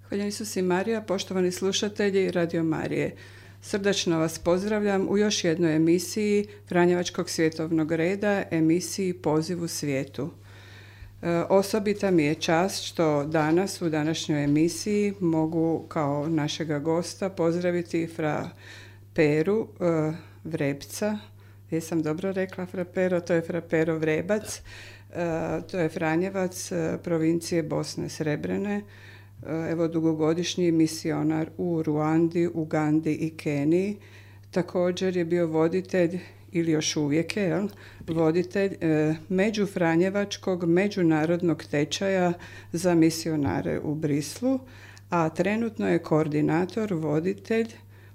Hvala Isus i Marija, poštovani slušatelji Radio Marije. Srdačno vas pozdravljam u još jednoj emisiji Franjevačkog svjetovnog reda, emisiji Poziv u svijetu. Osobita mi je čast što danas u današnjoj emisiji mogu kao našega gosta pozdraviti fra Peru Vrebca. Jesam dobro rekla fra Pero? To je fra Pero Vrebac. To je Franjevac provincije Bosne Srebrene. Evo, dugogodišnji misionar u Ruandi, Ugandi i Keniji. Također je bio voditelj, ili još uvijek je, voditelj međufranjevačkog međunarodnog tečaja za misionare u Brislu, a trenutno je koordinator, voditelj,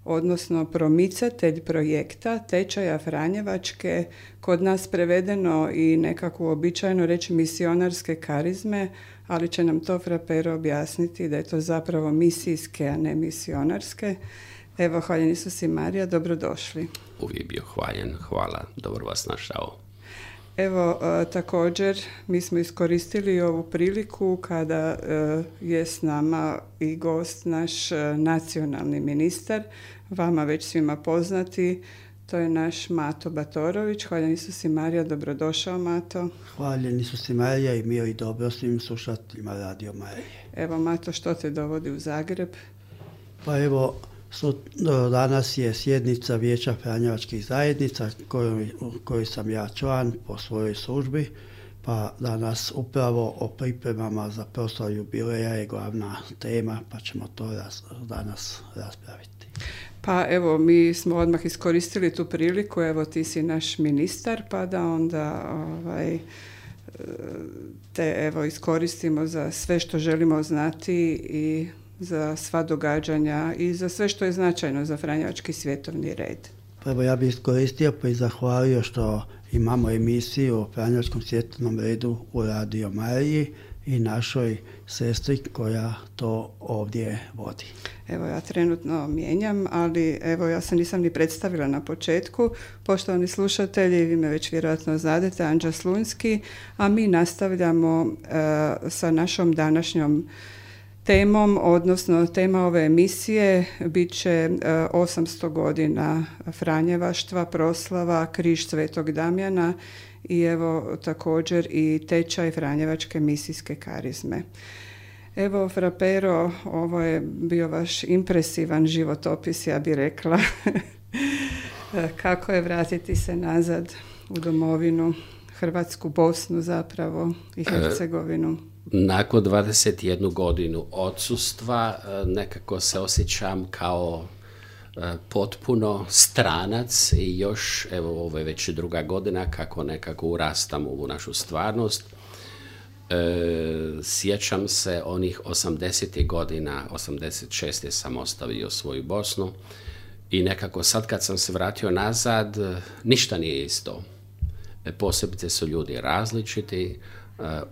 odnosno promicatelj projekta tečaja Franjevačke, kod nas prevedeno i nekako uobičajeno reći misionarske karizme, ali će nam to fra Pero objasniti da je to zapravo misijske, a ne misionarske. Evo, hvaljen Isus i Marija, dobrodošli. Uvijek bio hvaljen, hvala, dobro vas našao. Evo, također, mi smo iskoristili ovu priliku kada je s nama i gost naš nacionalni ministar, vama već svima poznati, to je naš Mato Batorović. Hvaljen Isus i Marija, dobrodošao Mato. Hvaljen Isus i Marija i mir i dobro svim slušateljima Radio Marije. Evo Mato, što te dovodi u Zagreb? Pa evo, danas je sjednica Vijeća Franjevačkih zajednica kojoj sam ja član po svojoj službi, pa danas upravo o pripremama za proslavu jubileja je glavna tema, pa ćemo to danas raspraviti. Pa evo, mi smo odmah iskoristili tu priliku, evo ti si naš ministar, pa da onda te evo iskoristimo za sve što želimo znati i za sva događanja i za sve što je značajno za Franjevački svjetovni red. Pa evo, ja bih iskoristio pa i zahvalio što imamo emisiju o Franjevačkom svjetovnom redu u Radio Mariji i našoj sestri koja to ovdje vodi. Evo, ja trenutno mijenjam, ali evo, ja se nisam ni predstavila na početku. Poštovani slušatelji, vi me već vjerojatno znadete, Anđa Slunjski, a mi nastavljamo sa našom današnjom temom, odnosno tema ove emisije bit će 800 godina Franjevaštva, proslava, križ Svetog Damjana i evo također i tečaj Franjevačke misijske karizme. Evo, fra Pero, ovo je bio vaš impresivan životopis, ja bih rekla. Kako je vratiti se nazad u domovinu, Hrvatsku, Bosnu zapravo i Hercegovinu? Nakon 21 godinu odsustva nekako se osjećam kao potpuno stranac i još, evo, ovo je već druga godina kako nekako urastam u našu stvarnost. Sjećam se onih 80. godina, 86. sam ostavio svoju Bosnu i nekako sad kad sam se vratio nazad, ništa nije isto. Posebice su ljudi različiti,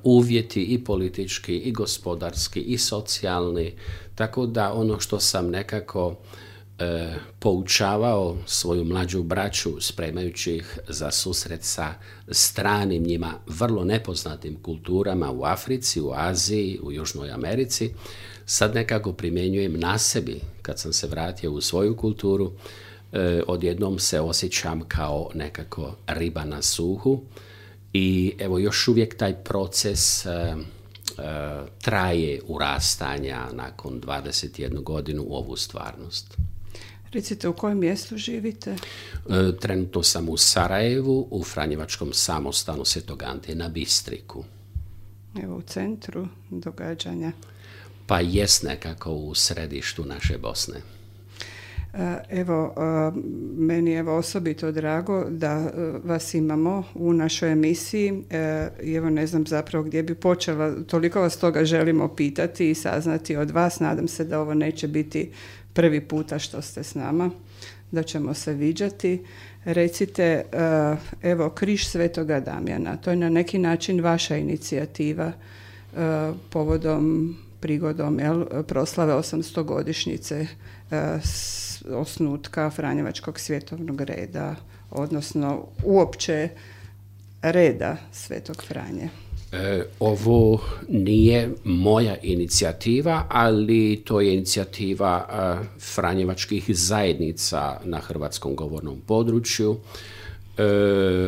uvjeti i politički, i gospodarski, i socijalni, tako da ono što sam nekako poučavao svoju mlađu braću spremajući ih za susret sa stranim njima vrlo nepoznatim kulturama u Africi, u Aziji, u Južnoj Americi, sad nekako primjenjujem na sebi. Kad sam se vratio u svoju kulturu, odjednom se osjećam kao nekako riba na suhu i evo još uvijek taj proces traje urastanja nakon 21 godinu u ovu stvarnost. Recite, u kojem mjestu živite? Trenutno sam u Sarajevu, u Franjevačkom samostanu Svetog Ante na Bistriku. Evo, u centru događanja. Pa jest nekako u središtu naše Bosne. Evo, meni je osobito drago da vas imamo u našoj emisiji. Evo, ne znam zapravo gdje bi počela, toliko vas toga želimo pitati i saznati od vas. Nadam se da ovo neće biti prvi puta što ste s nama, da ćemo se viđati. Recite, evo, križ Svetoga Damjana, to je na neki način vaša inicijativa prigodom proslave 800 godišnjice osnutka Franjevačkog svjetovnog reda, odnosno uopće reda Svetog Franje. Ovo nije moja inicijativa, ali to je inicijativa franjevačkih zajednica na hrvatskom govornom području.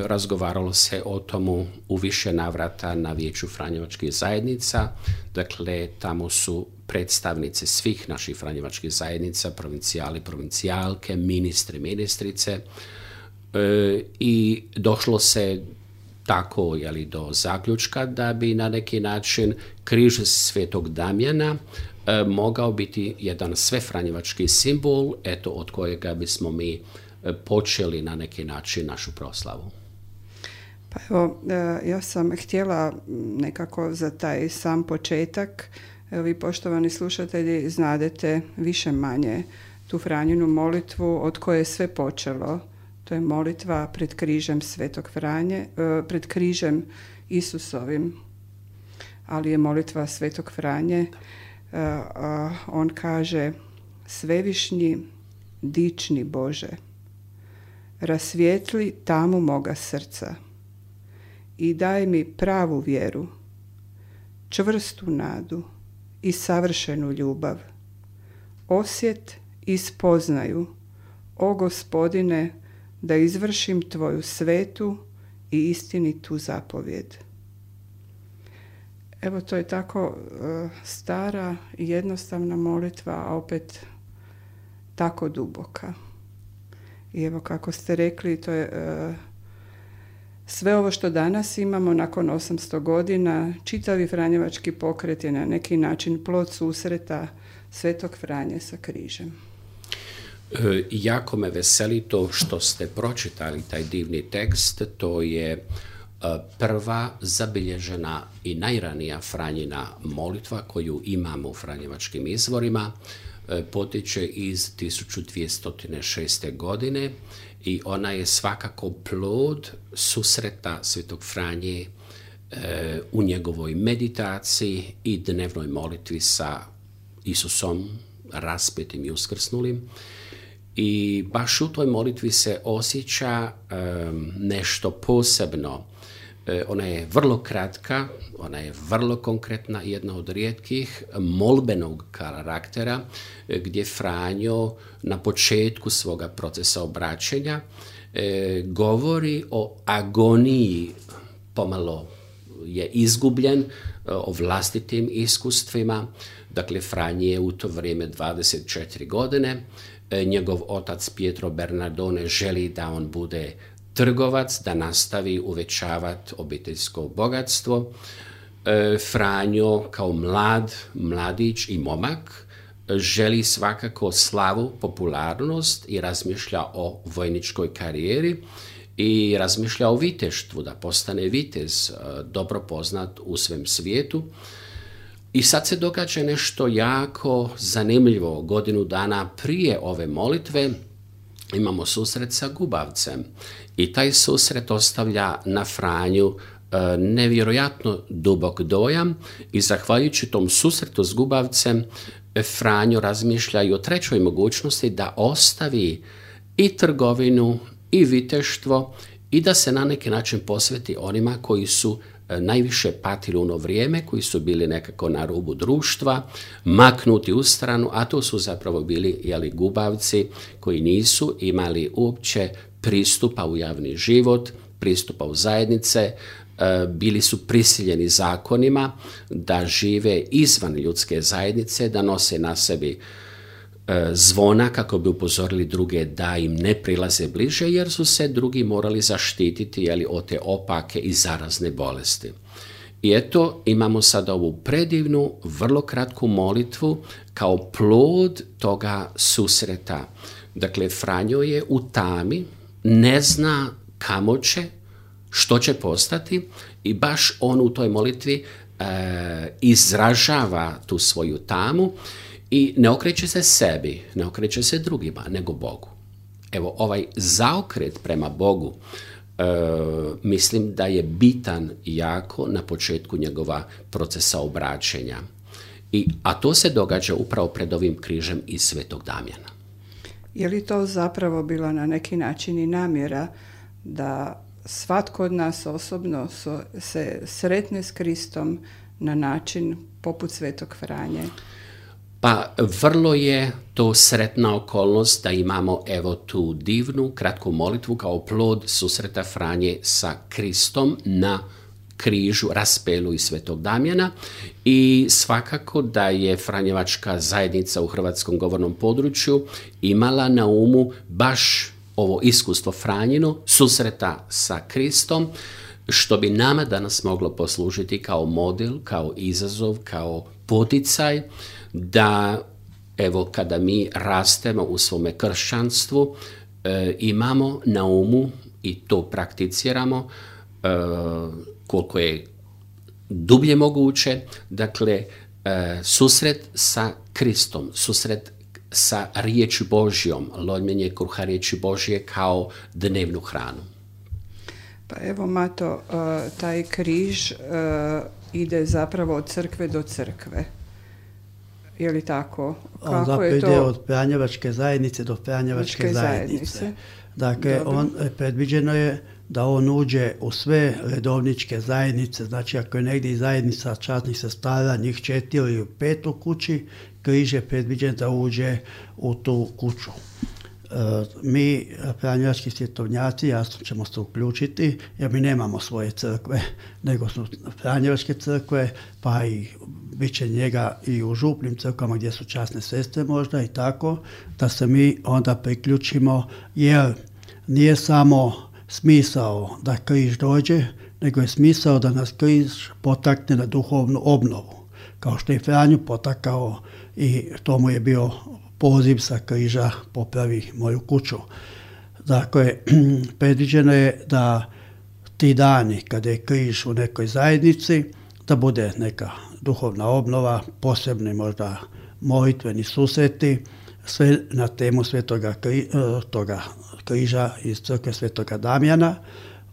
Razgovaralo se o tomu u više navrata na Vijeću franjevačkih zajednica. Dakle, tamo su predstavnice svih naših franjevačkih zajednica, provincijali, provincijalke, ministri, ministrice, i došlo se tako do zaključka da bi na neki način križ Svetog Damjana mogao biti jedan svefranjevački simbol, od kojega bismo mi počeli na neki način našu proslavu. Pa evo, ja sam htjela nekako za taj sam početak, vi poštovani slušatelji znadete više manje tu Franjinu molitvu od koje je sve počelo. To je molitva pred križem Svetog Franje, pred križem Isusovim, ali je molitva Svetog Franje. On kaže: Svevišnji, dični Bože, rasvijetli tamu moga srca i daj mi pravu vjeru, čvrstu nadu i savršenu ljubav, osjet i spoznaju, o Gospodine, da izvršim Tvoju svetu i istinitu zapovjed. Evo, to je tako stara i jednostavna molitva, a opet tako duboka. I evo, kako ste rekli, to je sve ovo što danas imamo nakon 800 godina, čitavi franjevački pokret je na neki način plod susreta Svetog Franje sa križem. Jako me veseli to što ste pročitali taj divni tekst. To je prva zabilježena i najranija Franjina molitva koju imamo u franjevačkim izvorima. Potiče iz 1206. godine i ona je svakako plod susreta Svetog Franje u njegovoj meditaciji i dnevnoj molitvi sa Isusom raspetim i uskrsnulim. I baš u toj molitvi se osjeća nešto posebno. Ona je vrlo kratka, ona je vrlo konkretna, jedna od rijetkih molbenog karaktera, gdje Franjo na početku svoga procesa obraćanja govori o agoniji, pomalo je izgubljen, o vlastitim iskustvima. Dakle, Franji je u to vrijeme 24 godine. Njegov otac Pietro Bernardone želi da on bude trgovac, da nastavi uvećavati obiteljsko bogatstvo. Franjo kao mladić i momak želi svakako slavu, popularnost i razmišlja o vojničkoj karijeri i razmišlja o viteštvu, da postane vitez, dobro poznat u svem svijetu. I sad se događa nešto jako zanimljivo. Godinu dana prije ove molitve imamo susret sa gubavcem i taj susret ostavlja na Franju nevjerojatno dubok dojam i zahvaljujući tom susretu s gubavcem Franjo razmišlja i o trećoj mogućnosti da ostavi i trgovinu i viteštvo i da se na neki način posveti onima koji su najviše patili u ono vrijeme, koji su bili nekako na rubu društva, maknuti u stranu, a to su zapravo bili gubavci koji nisu imali uopće pristupa u javni život, pristupa u zajednice, bili su prisiljeni zakonima da žive izvan ljudske zajednice, da nose na sebi zvona kako bi upozorili druge da im ne prilaze bliže, jer su se drugi morali zaštititi od te opake i zarazne bolesti. I eto, imamo sada ovu predivnu, vrlo kratku molitvu kao plod toga susreta. Dakle, Franjo je u tami, ne zna kamo će, što će postati i baš on u toj molitvi izražava tu svoju tamu i ne okreće se sebi, ne okreće se drugima, nego Bogu. Evo, ovaj zaokret prema Bogu mislim da je bitan jako na početku njegova procesa obraćenja. A to se događa upravo pred ovim križem iz Svetog Damjana. Je li to zapravo bila na neki način i namjera da svatko od nas osobno se sretne s Kristom na način poput Svetog Franje? Pa vrlo je to sretna okolnost da imamo evo tu divnu kratku molitvu kao plod susreta Franje sa Kristom na križu, raspelu i Svetog Damjana, i svakako da je Franjevačka zajednica u hrvatskom govornom području imala na umu baš ovo iskustvo Franjino, susreta sa Kristom, što bi nama danas moglo poslužiti kao model, kao izazov, kao poticaj da evo kada mi rastemo u svome kršćanstvu imamo na umu i to prakticiramo koliko je dublje moguće, dakle susret sa Kristom, susret sa riječi Božjom, lomljenje kruha riječi Božje kao dnevnu hranu. Pa evo Mato, taj križ ide zapravo od crkve do crkve. Je li tako? Kako je to? Ide od Franjevačke zajednice do Franjevačke zajednice. Dakle, predviđeno je da on uđe u sve redovničke zajednice, znači ako je negdje zajednica časnih sestara, njih 4 ili 5 u kući, križ je predviđen da uđe u tu kuću. Mi, franjevački svjetovnjaci, jasno ćemo se uključiti, jer mi nemamo svoje crkve, nego su franjevačke crkve, pa i bit će njega i u župnim crkvama gdje su časne sestre možda i tako, da se mi onda priključimo, jer nije samo smisao da križ dođe, nego je smisao da nas križ potakne na duhovnu obnovu. Kao što je Franju potakao i to mu je bio poziv sa križa popravi moju kuću. Dakle, predviđeno je da ti dani kada je križ u nekoj zajednici, da bude neka duhovna obnova, posebni možda molitveni susreti, sve na temu toga križa iz crkve Svetoga Damjana.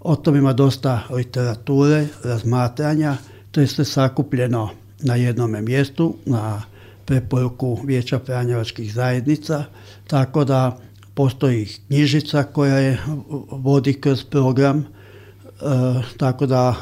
O tom ima dosta literature, razmatranja, to je sve sakupljeno na jednome mjestu, na preporuku Vijeća Franjevačkih zajednica, tako da postoji knjižica koja je vodi kroz program, tako da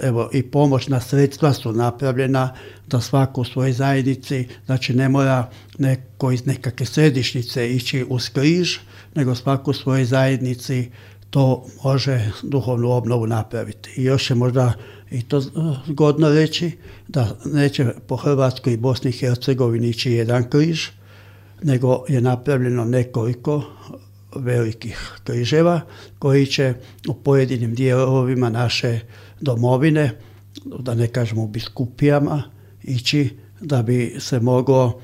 evo i pomoćna sredstva su napravljena da svako u svojoj zajednici, znači ne mora neko iz nekakve središnjice ići uz križ, nego svako u svojoj zajednici to može duhovnu obnovu napraviti. I još je možda i to zgodno reći da neće po Hrvatskoj i Bosni i Hercegovini ići jedan križ, nego je napravljeno nekoliko velikih križeva koji će u pojedinim dijelovima naše domovine, da ne kažemo u biskupijama, ići da bi se moglo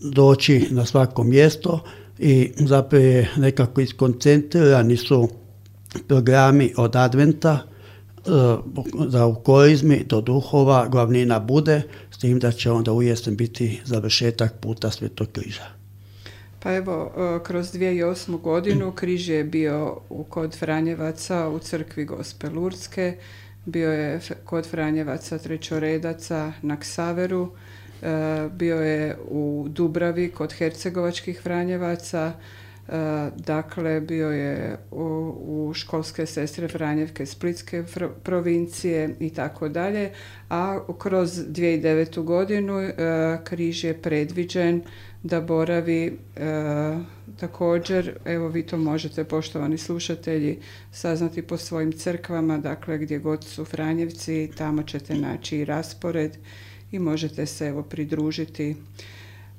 doći na svako mjesto i zapravo je nekako iskoncentrirani su programi od adventa da u korizmi do duhova glavnina bude, s tim da će onda u jesen biti završetak puta Svetog križa. Pa evo, kroz 2008. godinu križ je bio kod Franjevaca u crkvi Gospe Lurdske, bio je kod Franjevaca Trećoredaca na Ksaveru, bio je u Dubravi kod Hercegovačkih Franjevaca, dakle bio je u školske sestre Franjevke Splitske provincije i tako dalje, a kroz 2009. godinu križ je predviđen da boravi također, evo vi to možete, poštovani slušatelji, saznati po svojim crkvama, dakle gdje god su Franjevci, tamo ćete naći i raspored i možete se evo pridružiti.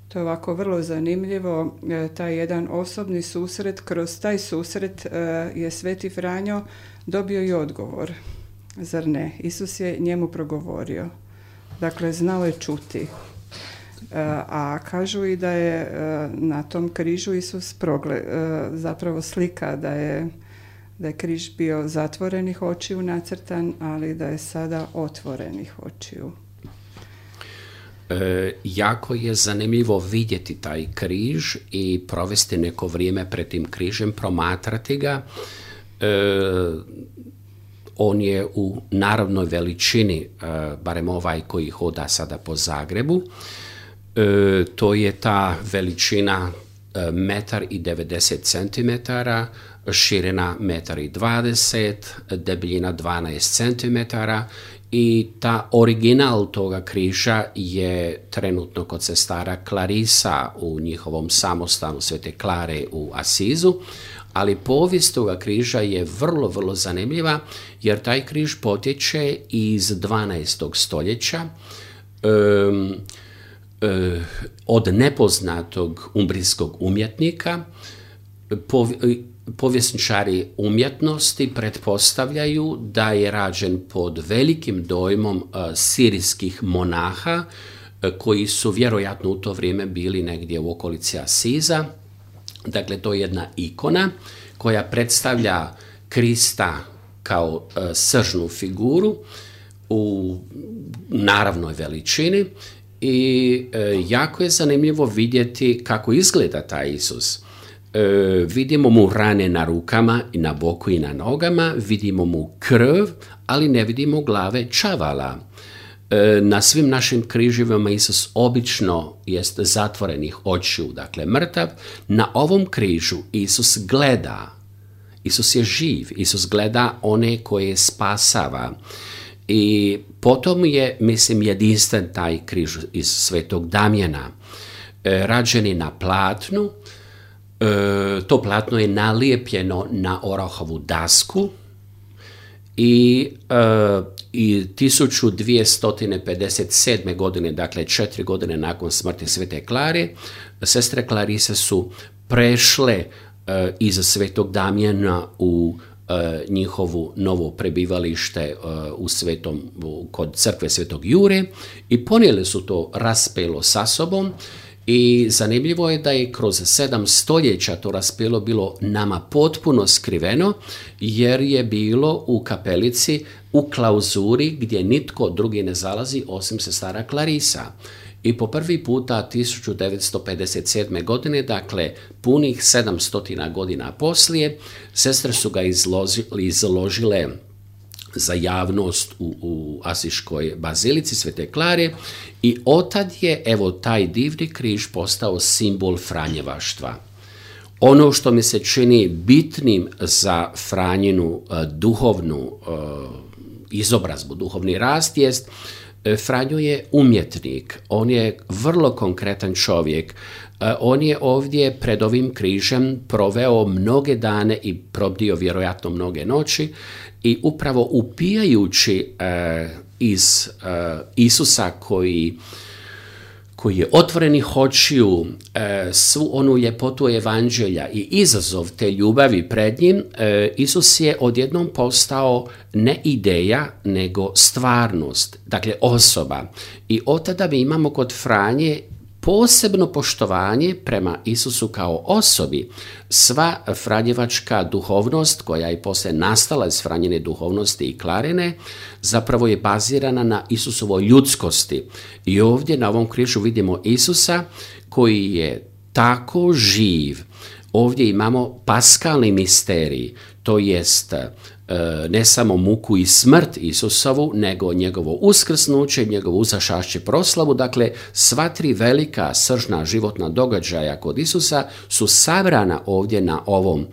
To je ovako vrlo zanimljivo, taj jedan osobni susret, kroz taj susret je Sveti Franjo dobio i odgovor, zar ne? Isus je njemu progovorio, dakle znao je čuti. A kažu i da je na tom križu Isus zapravo slika da je križ bio zatvorenih očiju nacrtan, ali da je sada otvorenih očiju. Jako je zanimljivo vidjeti taj križ i provesti neko vrijeme pred tim križem, promatrati ga. On je u naravnoj veličini, barem ovaj koji hoda sada po Zagrebu. To je ta veličina 1,90 cm, širina 1,20 m, debljina 12 cm i ta original toga križa je trenutno kod sestara Klarisa u njihovom samostanu Svete Klare u Asizu, ali povijest toga križa je vrlo, vrlo zanimljiva jer taj križ potječe iz 12. stoljeća od nepoznatog umbrijskog umjetnika. Povjesničari umjetnosti pretpostavljaju da je rađen pod velikim dojmom sirijskih monaha koji su vjerojatno u to vrijeme bili negdje u okolici Asiza. Dakle, to je jedna ikona koja predstavlja Krista kao sržnu figuru u naravnoj veličini i jako je zanimljivo vidjeti kako izgleda taj Isus. Vidimo mu rane na rukama i na boku i na nogama, vidimo mu krv, ali ne vidimo glave čavala. Na svim našim križevima Isus obično jest zatvorenih očiju, dakle mrtav. Na ovom križu Isus gleda, Isus je živ, Isus gleda one koje spasava. I potom je, mislim, jedinstven taj križ iz Svetog Damjana, rađeni na platnu. To platno je nalijepljeno na orahovu dasku i 1257. godine, dakle 4 godine nakon smrti Svete Klare, sestre Klarise su prešle iz Svetog Damjana u njihovu novo prebivalište kod crkve Svetog Jure i ponijeli su to raspelo sa sobom. I zanimljivo je da je kroz 7 stoljeća to raspelo bilo nama potpuno skriveno, jer je bilo u kapelici u klauzuri gdje nitko drugi ne zalazi osim sestara Klarisa. I po prvi puta 1957. godine, dakle punih 700 godina poslije, sestre su ga izložile za javnost u Asiškoj bazilici Svete Klare i otad je, evo, taj divni križ postao simbol franjevaštva. Ono što mi se čini bitnim za Franjinu duhovnu izobrazbu, duhovni rast jest Franjo je umjetnik, on je vrlo konkretan čovjek. On je ovdje pred ovim križem proveo mnoge dane i probdio vjerojatno mnoge noći i upravo upijajući iz Isusa koji je otvorenih očiju, svu onu ljepotu evanđelja i izazov te ljubavi pred njim, Isus je odjednom postao ne ideja, nego stvarnost, dakle osoba. I od tada mi imamo kod Franje posebno poštovanje prema Isusu kao osobi. Sva franjevačka duhovnost koja je poslije nastala iz Franjine duhovnosti i Klarine zapravo je bazirana na Isusovoj ljudskosti. I ovdje na ovom križu vidimo Isusa koji je tako živ. Ovdje imamo paskalni misterij, to jest ne samo muku i smrt Isusovu, nego njegovo uskrsnuće, njegovo uzašašće proslavu. Dakle, sva tri velika sržna životna događaja kod Isusa su sabrana ovdje na ovom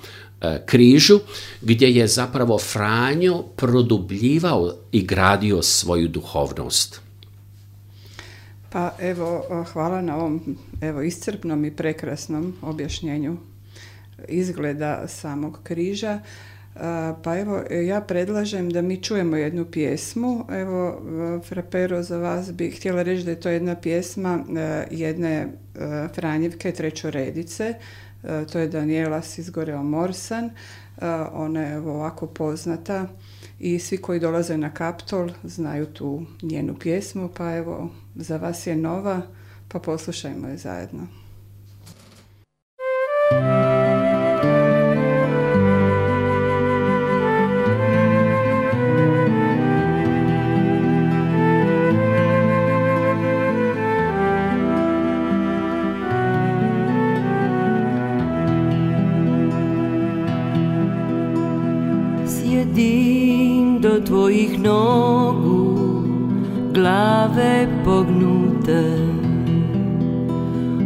križu, gdje je zapravo Franjo produbljivao i gradio svoju duhovnost. Pa evo, hvala na ovom iscrpnom i prekrasnom objašnjenju izgleda samog križa. Pa evo, ja predlažem da mi čujemo jednu pjesmu. Evo, Frapero, za vas bih htjela reći da je to jedna pjesma jedne Franjevke trećoredice. To je Daniela Sizgoreo Morsan. Ona je ovako poznata i svi koji dolaze na Kaptol znaju tu njenu pjesmu. Pa evo, za vas je nova, pa poslušajmo je zajedno. Sjedim do tvojih nogu, glave pognute,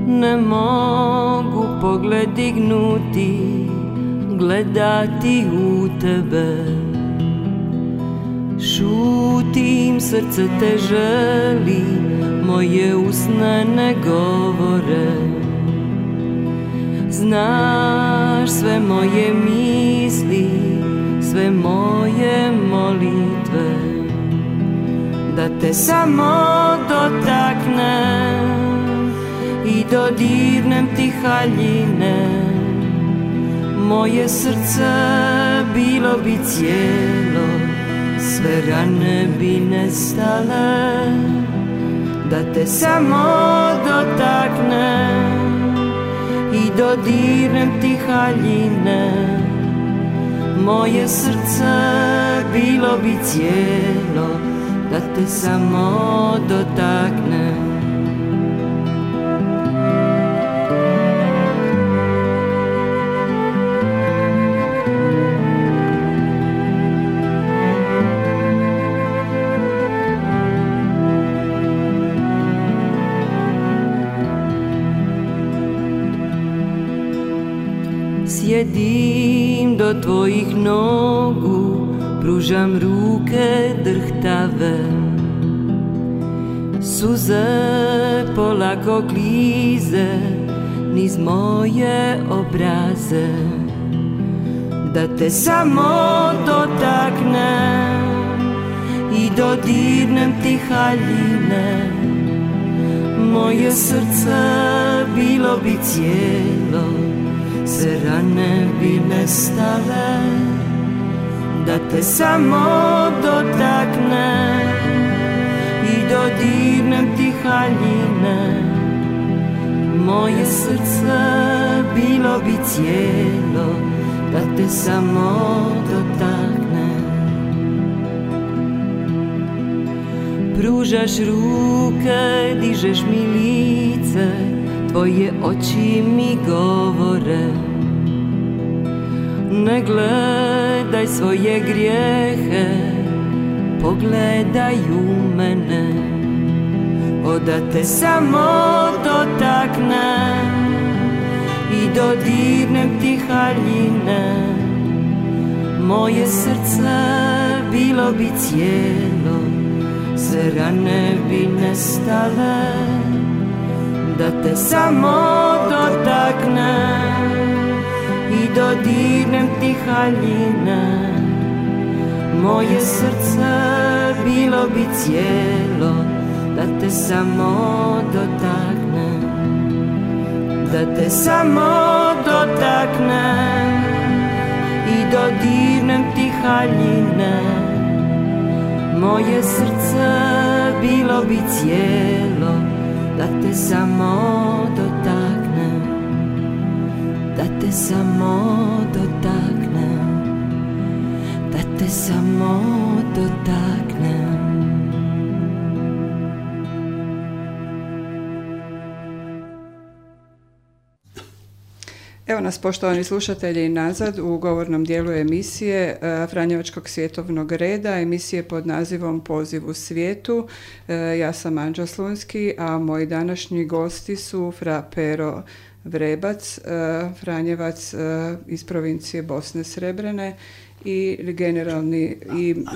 ne mogu pogled dignuti, gledati u tebe. Šutim, srce te želi, moje usne ne govore. Znaš sve moje misli, sve moje molitve, da te samo dotaknem i dodirnem ti haljine. Moje srce bilo bi cijelo, sve rane bi nestale, da te samo dotaknem i dodirnem ti haljine. Moje srce bilo bi cijelo, da te samo dotaknem. Sjedim do tvojih nogu, pružam ruke drhtave. Suze polako klize niz moje obraze, da te samo dotaknem i dodirnem ti haljine. Moje srce bilo bi cijelo, sve rane bi nestale, da te samo dotaknem i dodirnem ti haljine. Moje srce bilo bi cijelo, da te samo dotaknem. Pružaš ruke, dižeš mi lice, tvoje oči mi govore. Ne gledaj svoje grijehe, pogledaj u mene. Da te samo dotaknem i dodirnem ti haljine. Moje srce bilo bi cijelo, sve rane bi nestale, da te samo dotaknem i dodirnem ti haljine. Moje srce bilo bi cijelo, da te samo dotaknem, da te samo dotaknem i dodirnem ti haljine. Moje srce bilo bi cijelo, da te samo dotaknem, da te samo dotaknem, da te samo dotaknem. Evo nas, poštovani slušatelji, nazad u govornom dijelu emisije Franjevačkog svjetovnog reda, emisije pod nazivom Poziv u svijetu. Ja sam Anđa Slunski, a moji današnji gosti su fra Pero Vrebac, Franjevac iz provincije Bosne Srebrene i generalni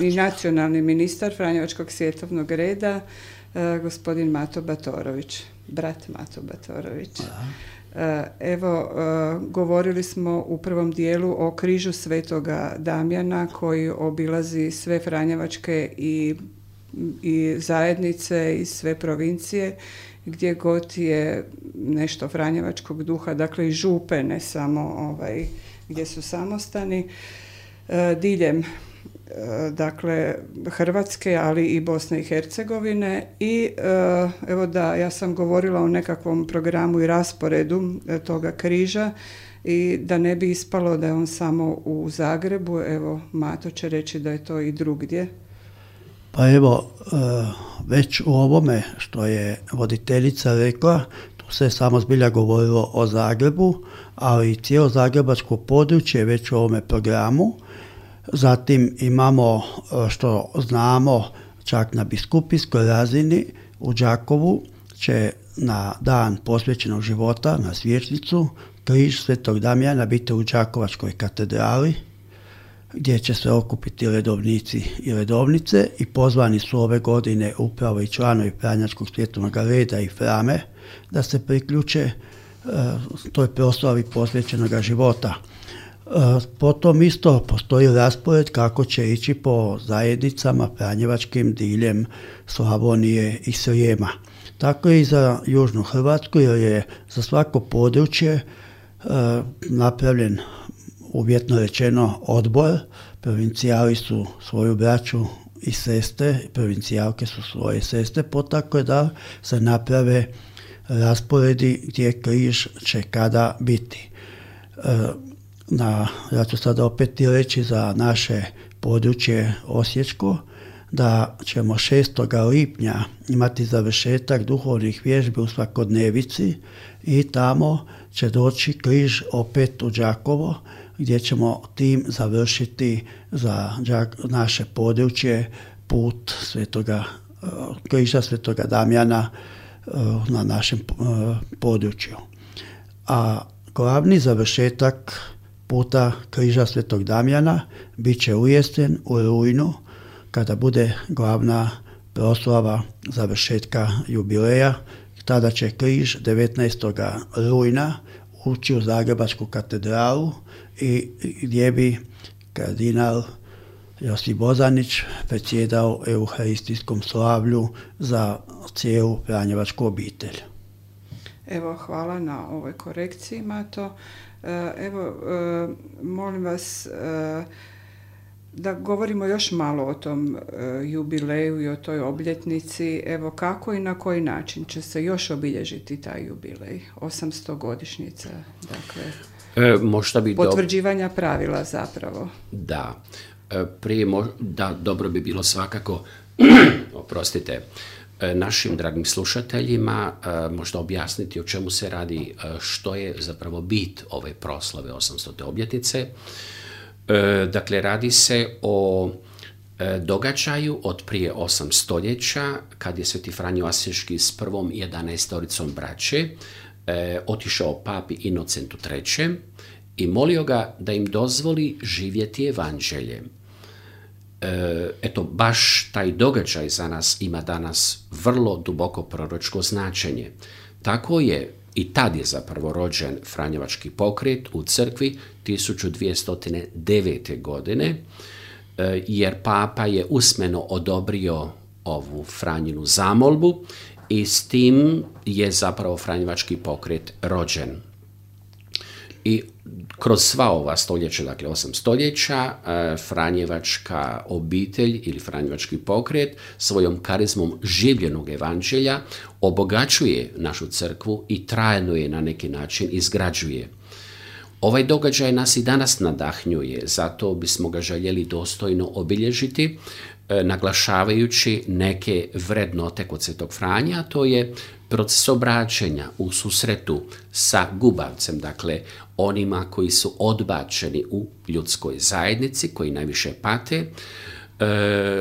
i nacionalni ministar Franjevačkog svjetovnog reda, gospodin Mato Batorović, brat Mato Batorović. Evo, govorili smo u prvom dijelu o križu Svetoga Damjana koji obilazi sve franjevačke i zajednice i sve provincije gdje god je nešto franjevačkog duha, dakle i župe, ne samo gdje su samostani, diljem dakle Hrvatske, ali i Bosne i Hercegovine. I evo da, ja sam govorila o nekakvom programu i rasporedu toga križa i da ne bi ispalo da je on samo u Zagrebu. Evo, Mato će reći da je to i drugdje. Pa evo, već u ovome što je voditeljica rekla, tu se samo zbilja govorilo o Zagrebu, ali cijelo zagrebačko područje već u ovome programu. Zatim imamo, što znamo, čak na biskupijskoj razini u Đakovu će na dan posvećenog života, na svječnicu, križ Svetog Damjana biti u Đakovačkoj katedrali, gdje će se okupiti redovnici i redovnice i pozvani su ove godine upravo i članovi Franjevačkog svjetovnog reda i Frame da se priključe toj proslavi posvećenog života. Potom isto postoji raspored kako će ići po zajednicama franjevačkim diljem Slavonije i Srijema. Tako i za Južnu Hrvatsku, jer je za svako područje napravljen, uvjetno rečeno, odbor. Provincijali su svoju braću i sestre, provincijalke su svoje sestre, potakle da se naprave rasporedi gdje križ će kada biti. Ja ću sada opet reći za naše područje Osječko, da ćemo 6. lipnja imati završetak duhovnih vježbi u svakodnevici i tamo će doći križ opet u Đakovo, gdje ćemo tim završiti za naše područje put križa Svetoga Damjana na našem području. A glavni završetak puta križa Svetog Damjana bit će u jesen, u rujnu, kada bude glavna proslava završetka jubileja. Tada će križ 19. rujna ući u Zagrebačku katedralu i gdje bi kardinal Josip Bozanić predsjedao euharistijskom slavlju za cijelu franjevačku obitelj. Evo, hvala na ovoj korekciji, Mato. Evo, molim vas da govorimo još malo o tom jubileju i o toj obljetnici. Evo, kako i na koji način će se još obilježiti taj jubilej? 800 godišnjica, dakle, možda bi potvrđivanja pravila zapravo. Da, dobro bi bilo svakako, oprostite, našim dragim slušateljima možda objasniti o čemu se radi, što je zapravo bit ove proslave 800. obljetnice. Dakle, radi se o događaju od prije 8 stoljeća, kad je Sveti Franjo Asijski s prvom 11 braće otišao papi Inocentu III. I molio ga da im dozvoli živjeti evanđeljem. Eto, baš taj događaj za nas ima danas vrlo duboko proročko značenje. Tako je i tad je zapravo rođen Franjevački pokret u crkvi 1209. godine, jer papa je usmeno odobrio ovu Franjinu zamolbu i s tim je zapravo Franjevački pokret rođen. I kroz sva ova stoljeća, dakle 8 stoljeća, Franjevačka obitelj ili Franjevački pokret svojom karizmom življenog evanđelja obogaćuje našu crkvu i trajno je na neki način izgrađuje. Ovaj događaj nas i danas nadahnjuje, zato bismo ga željeli dostojno obilježiti, naglašavajući neke vrednote kod Svetog Franja, to je proces obraćanja u susretu sa gubavcem, dakle onima koji su odbačeni u ljudskoj zajednici, koji najviše pate,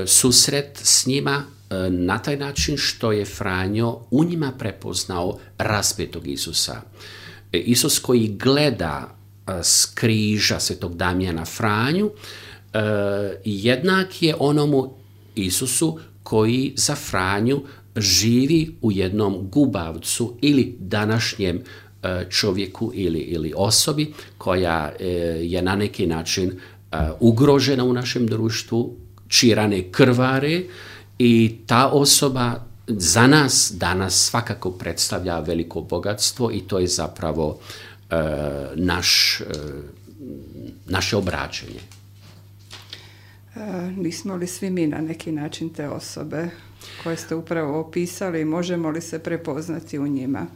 susret s njima na taj način što je Franjo u njima prepoznao raspetog Isusa. Isus koji gleda s križa Svetog Damjana Franju, jednak je onomu Isusu koji za Franju živi u jednom gubavcu ili današnjem čovjeku ili osobi koja je na neki način ugrožena u našem društvu, čije rane krvare, i ta osoba za nas danas svakako predstavlja veliko bogatstvo i to je zapravo naše obraćanje. Nismo li svi mi na neki način te osobe koje ste upravo opisali, možemo li se prepoznati u njima?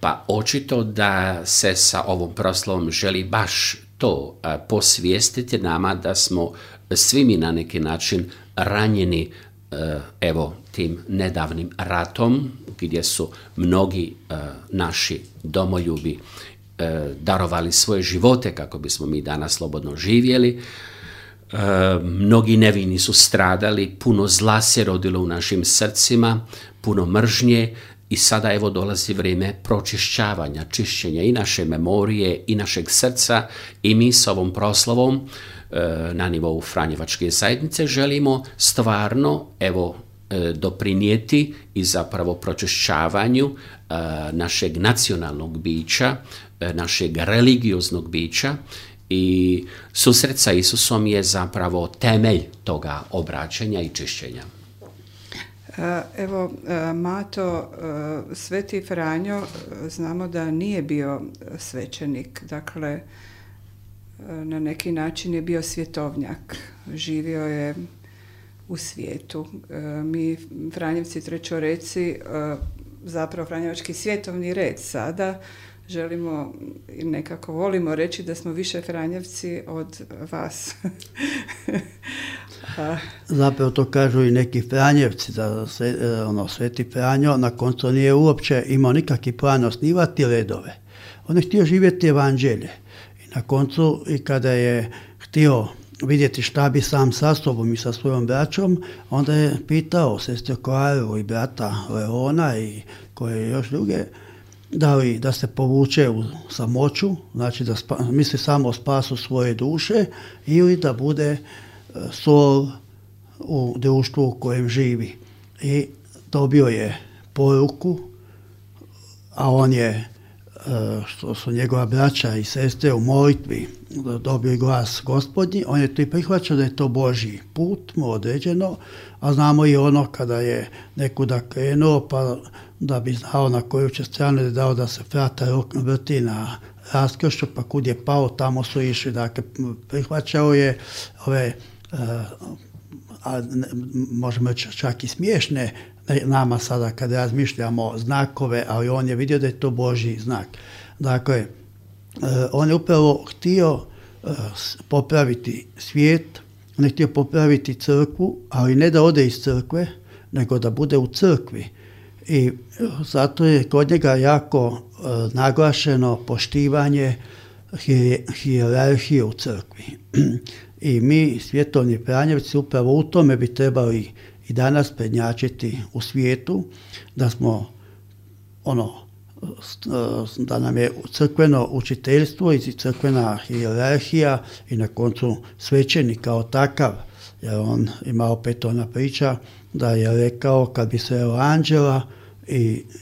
Pa očito da se sa ovom proslavom želi baš to posvijestiti nama, da smo svi mi na neki način ranjeni tim nedavnim ratom, gdje su mnogi naši domoljubi darovali svoje živote kako bismo mi danas slobodno živjeli. Mnogi nevini su stradali, puno zla se rodilo u našim srcima, puno mržnje I sada evo dolazi vrijeme pročišćavanja, čišćenja i naše memorije i našeg srca i mi s ovom proslavom na nivou Franjevačke zajednice želimo stvarno evo doprinijeti i zapravo pročišćavanju našeg nacionalnog bića, našeg religioznog bića i susret sa Isusom je zapravo temelj toga obraćanja i čišćenja. Evo, Mato, Sveti Franjo, znamo da nije bio svećenik, dakle, na neki način je bio svjetovnjak, živio je u svijetu. Mi, Franjevci Trećoreci, zapravo Franjevački svjetovni red sada, želimo i nekako volimo reći da smo više Franjevci od vas. Zapravo to kažu i neki Franjevci, da Sveti Franjo na koncu nije uopće imao nikakvi plan osnivati redove. On je htio živjeti evanđelje. I na koncu, i kada je htio vidjeti šta bi sam sa sobom i sa svojom braćom, onda je pitao sestru Klaru i brata Leona i koje još druge, da se povuče u samoću, znači da misli samo o spasu svoje duše, ili da bude sol u društvu u kojem živi. I dobio je poruku, a on je, što su njegova braća i sestre u molitvi dobili glas Gospodnji, on je to i prihvaćao da je to Božji put mu određeno, a znamo i ono kada je nekuda krenuo, pa da bi znao na koju će stranu je dao da se frata vrti na raskršću, pa kud je pao, tamo su išli. Dakle, prihvaćao je ove, možemo čak i smiješne nama sada kad razmišljamo znakove, ali on je vidio da je to Božji znak. Dakle, on je upravo htio popraviti svijet, on je htio popraviti crkvu, ali ne da ode iz crkve, nego da bude u crkvi. I zato je kod njega jako naglašeno poštivanje hijerarhije u crkvi. I mi, svjetovni Franjevci, upravo u tome bi trebali i danas prednjačiti u svijetu, da smo da nam je crkveno učiteljstvo i crkvena hijerarhija i na koncu svećenik kao takav, jer on ima opet ona priča da je rekao kad bi se anđela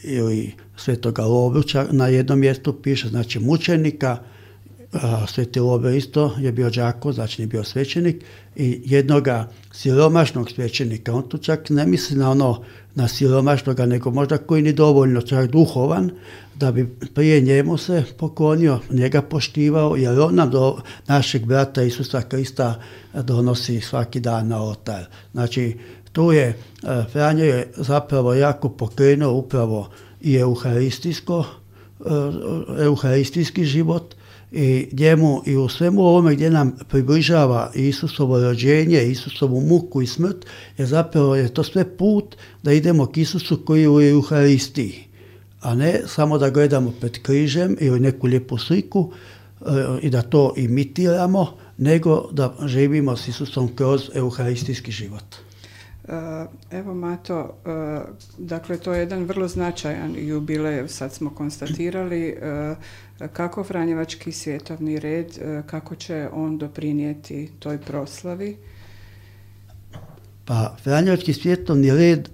ili svetoga Lovruća na jednom mjestu piše, znači mučenika, Sveti Lovre isto je bio đako, znači nije bio svećenik, i jednoga siromašnog svećenika. On tu čak ne misli na siromašnoga, nego možda koji ni dovoljno čak duhovan, da bi prije njemu se poklonio, njega poštivao, jer on nam do našeg brata Isusa Krista donosi svaki dan na oltar. Znači, tu je Franjo je zapravo jako pokrenuo upravo i euharistijski život, i njemu i u svemu ovome gdje nam približava Isusovo rođenje, Isusovu muku i smrt, je zapravo je to sve put da idemo k Isusu koji je u Euharistiji, a ne samo da gledamo pred križem ili neku lijepu sliku i da to imitiramo, nego da živimo s Isusom kroz euharistijski život. Evo Mato, dakle to je jedan vrlo značajan jubilej, sad smo konstatirali kako Franjevački svjetovni red, kako će on doprinijeti toj proslavi? Pa Franjevački svjetovni red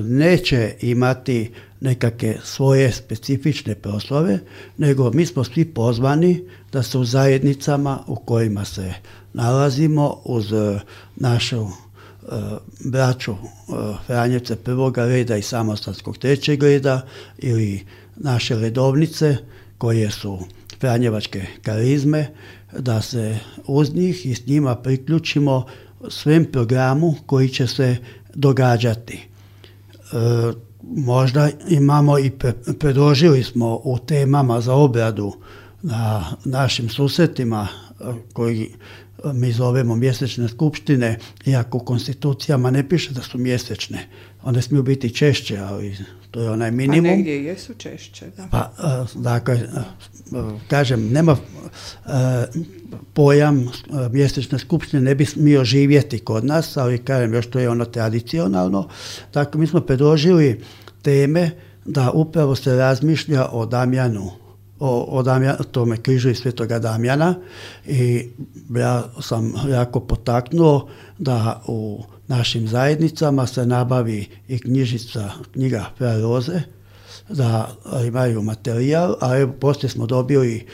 neće imati nekakve svoje specifične proslave, nego mi smo svi pozvani da se u zajednicama u kojima se nalazimo uz našu braću Franjevce prvoga reda i Samostalskog trećeg reda ili naše redovnice koje su Franjevačke karizme, da se uz njih i s njima priključimo svem programu koji će se događati. Možda imamo i predložili smo u temama za obradu na našim susretima koji mi zovemo mjesečne skupštine, iako u konstitucijama ne piše da su mjesečne. One smiju biti češće, ali to je onaj minimum. A negdje jesu češće, da. Pa, dakle, kažem, nema pojam mjesečne skupštine ne bi smio živjeti kod nas, ali kažem, još to je ono tradicionalno. Dakle, mi smo predložili teme da upravo se razmišlja o Damjanu, o tome križu Svetoga Damjana, i ja sam jako potaknuo da u našim zajednicama se nabavi i knjiga Fra Roze, da imaju materijal, a evo poslije smo dobili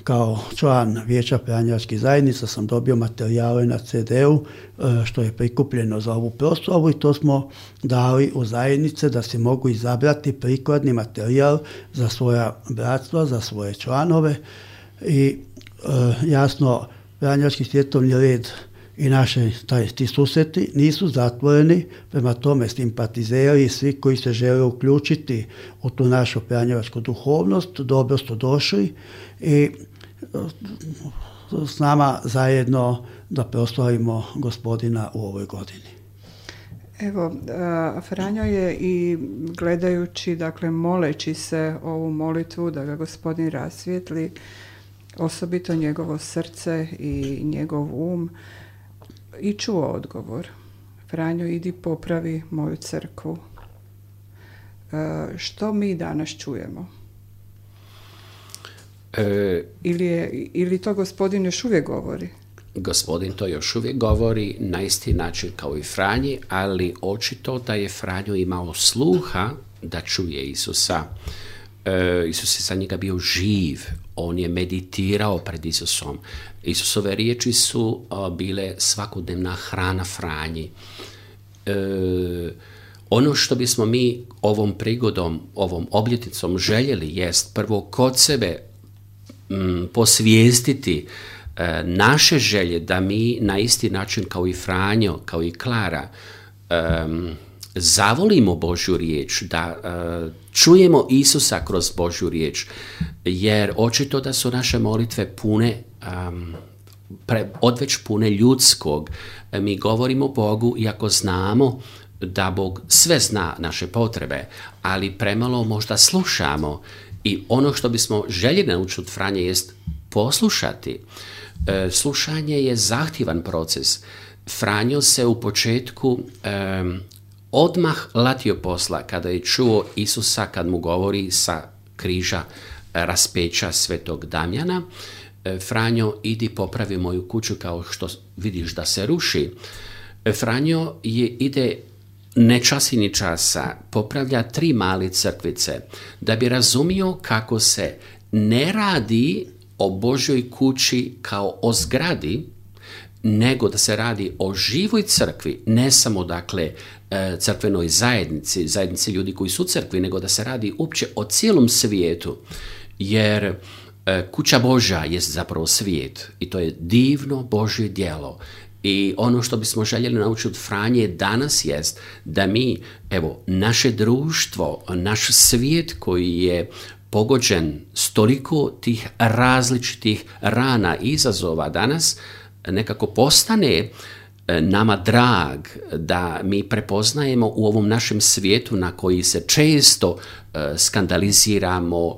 kao član Vijeća franjevačkih zajednica sam dobio materijale na CD-u što je prikupljeno za ovu proslavu, i to smo dali u zajednice da se mogu izabrati prikladni materijal za svoja bratstva, za svoje članove, i jasno Franjevački svjetovni red i ti susreti nisu zatvoreni, prema tome simpatizeri i svi koji se žele uključiti u tu našu franjevačku duhovnost dobro su došli i s nama zajedno da proslavimo Gospodina u ovoj godini. Evo, Franjo je i gledajući, dakle moleći se ovu molitvu da ga Gospodin rasvijetli, osobito njegovo srce i njegov i čuo odgovor. Franjo, idi popravi moju crkvu. Što mi danas čujemo? Ili to Gospodin još uvijek govori? Gospodin to još uvijek govori na isti način kao i Franji, ali očito da je Franjo imao sluha da čuje Isusa. Isus je za njega bio živ, on je meditirao pred Isusom. Isusove riječi su bile svakodnevna hrana Franji. Ono što bismo mi ovom prigodom, ovom obljetnicom željeli jest prvo kod sebe posvijestiti naše želje da mi na isti način kao i Franjo, kao i Klara, zavolimo Božju riječ, da čujemo Isusa kroz Božju riječ, jer očito da su naše molitve pune, odveć pune ljudskog. Mi govorimo Bogu iako znamo da Bog sve zna naše potrebe, ali premalo možda slušamo, i ono što bismo željeli naučiti od Franje jest poslušati. Slušanje je zahtjevan proces. Franjo se u početku odmah latio posla kada je čuo Isusa kad mu govori sa križa raspeća Svetog Damjana: Franjo, idi popravi moju kuću kao što vidiš da se ruši. Franjo ide ne časi ni časa, popravlja 3 male crkvice da bi razumio kako se ne radi o Božjoj kući kao o zgradi, nego da se radi o živoj crkvi, ne samo dakle crkvenoj zajednici ljudi koji su u crkvi, nego da se radi uopće o cijelom svijetu, jer kuća Božja je zapravo svijet i to je divno Božje djelo. I ono što bismo željeli naučiti od Franje danas jest da mi, evo, naše društvo, naš svijet koji je pogođen s toliko tih različitih rana i izazova danas, nekako postane nama drag, da mi prepoznajemo u ovom našem svijetu na koji se često skandaliziramo,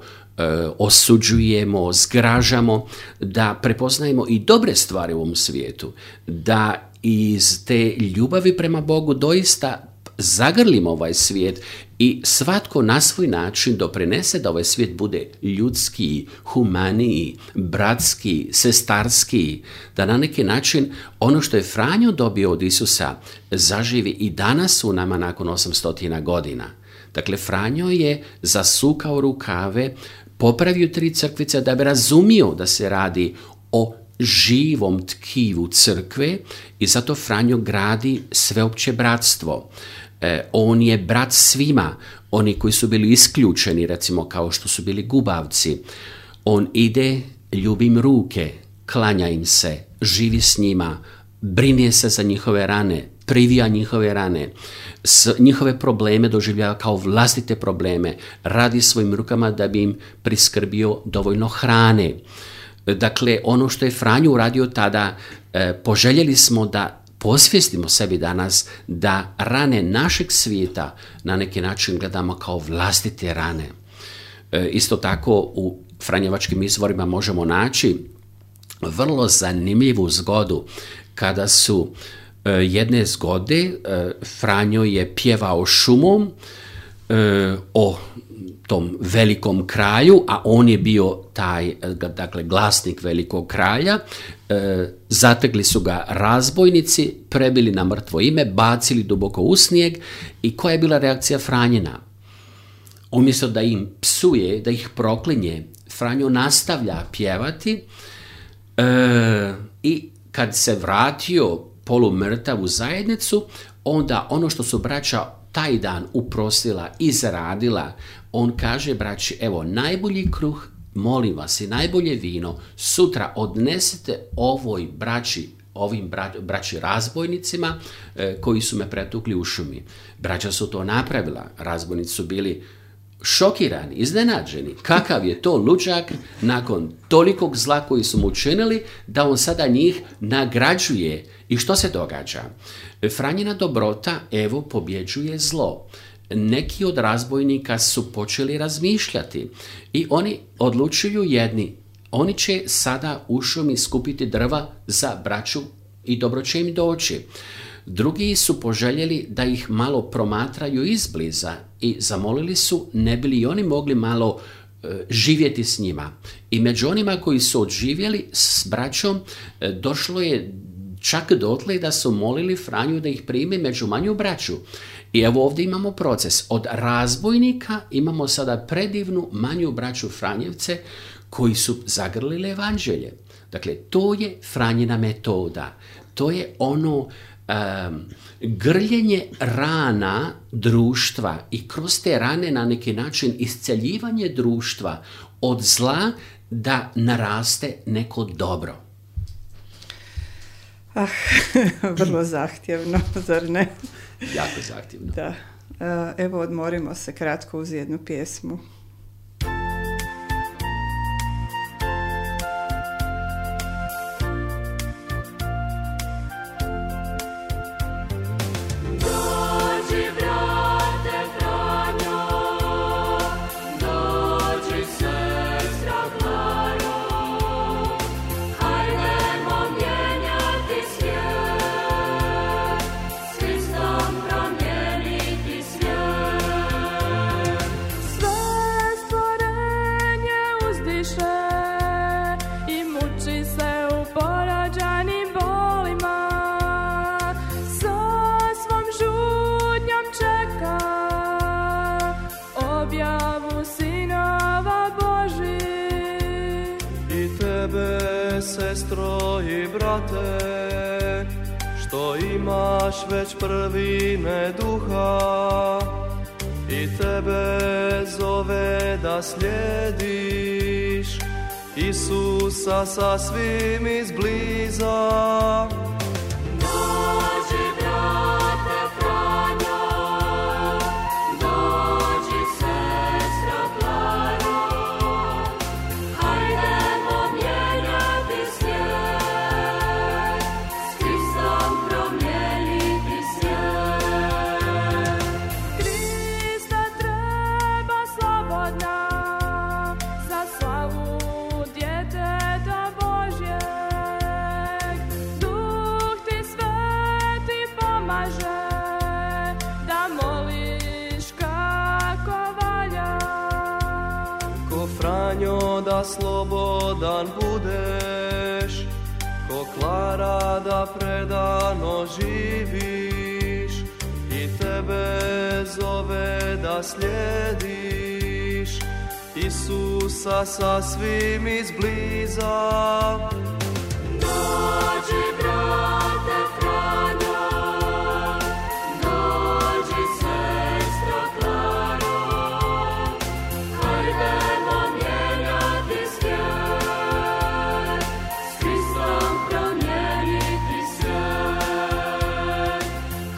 osuđujemo, zgražamo, da prepoznajemo i dobre stvari u ovom svijetu, da iz te ljubavi prema Bogu doista zagrlimo ovaj svijet i svatko na svoj način doprinese da ovaj svijet bude ljudski, humaniji, bratski, sestarski, da na neki način ono što je Franjo dobio od Isusa zaživi i danas u nama nakon 800 godina. Dakle, Franjo je zasukao rukave, popravio 3 crkvice da bi razumio da se radi o živom tkivu crkve i zato Franjo gradi sveopće bratstvo. On je brat svima, oni koji su bili isključeni, recimo kao što su bili gubavci. On ide, ljubi im ruke, klanja im se, živi s njima, brine se za njihove rane, privija njihove rane, njihove probleme doživljava kao vlastite probleme, radi svojim rukama da bi im priskrbio dovoljno hrane. Dakle, ono što je Franjo uradio tada, poželjeli smo da posvijestimo sebi danas da rane našeg svijeta na neki način gledamo kao vlastite rane. Isto tako u franjevačkim izvorima možemo naći vrlo zanimljivu zgodu kada su jedne zgode Franjo je pjevao šumom o tom velikom kralju, a on je bio taj, dakle, glasnik velikog kralja. Zatekli su ga razbojnici, prebili na mrtvo ime, bacili duboko u snijeg. I koja je bila reakcija Franjina? Umjesto da im psuje, da ih proklinje, Franjo nastavlja pjevati i kad se vratio polumrtav u zajednicu, onda ono što su braća taj dan uprosila i zaradila, on kaže braći, evo, najbolji kruh, molim vas, i najbolje vino sutra odnesete ovim braći razbojnicima koji su me pretukli u šumi. Braća su to napravila, razbojnici su bili šokirani, iznenađeni. Kakav je to luđak nakon tolikog zla koji su mu učinili, da on sada njih nagrađuje. I što se događa? Franjina dobrota, evo, pobjeđuje zlo. Neki od razbojnika su počeli razmišljati i oni odlučuju jedni. Oni će sada u šumi skupiti drva za braću i dobro će im doći. Drugi su poželjeli da ih malo promatraju izbliza i zamolili su ne bi li oni mogli malo živjeti s njima. I među onima koji su odživjeli s braćom došlo je čak dotle da su molili Franju da ih prime među manju braću. I evo ovdje imamo proces. Od razbojnika imamo sada predivnu manju braću Franjevce koji su zagrlili evanđelje. Dakle, to je Franjina metoda. To je ono grljenje rana društva i kroz te rane na neki način isceljivanje društva od zla da naraste neko dobro. Vrlo zahtjevno, zar ne? Jako zahtjevno. Da. Evo, odmorimo se kratko uz jednu pjesmu. Sestro i brate, što imaš već prvine duha, i tebe zove da slijediš Isusa sasvim izbliza. Da slobodan budeš, ko Klara da predano živiš, i tebe zove da slijediš Isusa sasvim izbliza. Dođi, brate Franjo, dođi, sestro Klaro, hajdemo mijenjati svijet, s Kristom promijeniti svijet.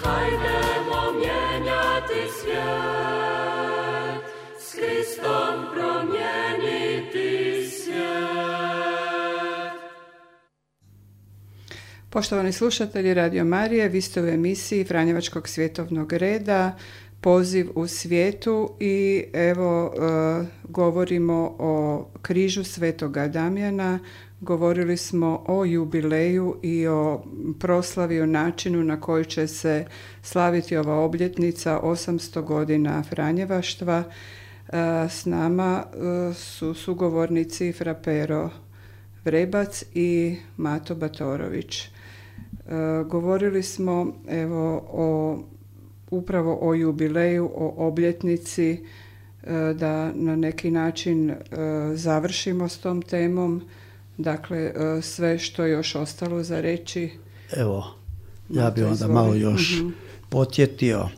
Hajdemo mijenjati svijet, s Kristom promijeniti svijet. Poštovani slušatelji Radio Marije, vi ste u emisiji Franjevačkog svjetovnog reda. poziv u svijetu i evo govorimo o križu Svetoga Damjana, govorili smo o jubileju i o proslavi, o načinu na koji će se slaviti ova obljetnica 800 godina Franjevaštva. S nama su sugovornici Fra Pero Vrebac i Mato Batorović. Govorili smo upravo o jubileju, o obljetnici, da na neki način završimo s tom temom. Dakle, sve što je još ostalo za reći. Evo, ja bih onda malo još podsjetio.